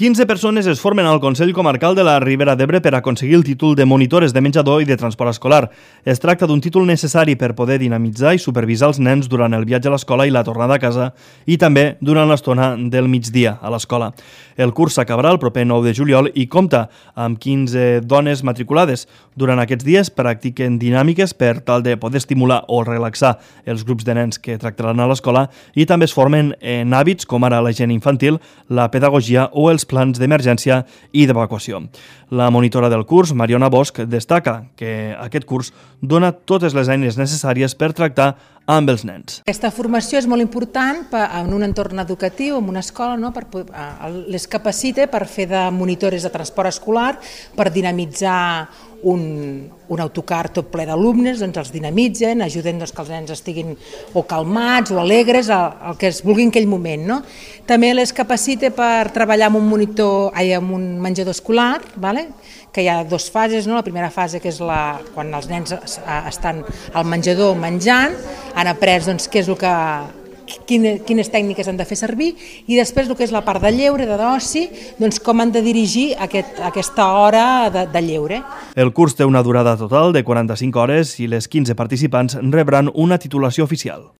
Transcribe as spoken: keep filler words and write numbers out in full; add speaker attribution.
Speaker 1: quinze persones es formen al Consell Comarcal de la Ribera d'Ebre per aconseguir el títol de monitores de menjador i de transport escolar. Es tracta d'un títol necessari per poder dinamitzar i supervisar els nens durant el viatge a l'escola i la tornada a casa i també durant l'estona del migdia a l'escola. El curs s'acabarà el proper nou de juliol i compta amb quinze dones matriculades. Durant aquests dies practiquen dinàmiques per tal de poder estimular o relaxar els grups de nens que tractaran a l'escola i també es formen en hàbits com ara la higiene infantil, la pedagogia o els plans d'emergència i d'evacuació. La monitora del curs, Mariona Bosch, destaca que aquest curs dona totes les eines necessàries per tractar amb els nens.
Speaker 2: Aquesta formació és molt important en un entorn educatiu, en una escola, no? per, les capacita per fer de monitores de transport escolar, per dinamitzar un, un autocar tot ple d'alumnes, doncs els dinamitzen, ajuden doncs, que els nens estiguin o calmats o alegres, el, el que es vulgui en aquell moment. No? També les capacita per treballar amb un monitor, ai, amb un menjador escolar, vale? Que hi ha dues fases, no? La primera fase que és la, quan els nens estan al menjador menjant, han après doncs, què és el que, quines, quines tècniques han de fer servir i després el que és la part de lleure, de d'oci, doncs com han de dirigir aquest, aquesta hora de, de lleure.
Speaker 1: El curs té una durada total de quaranta-cinc hores i les quinze participants rebran una titulació oficial.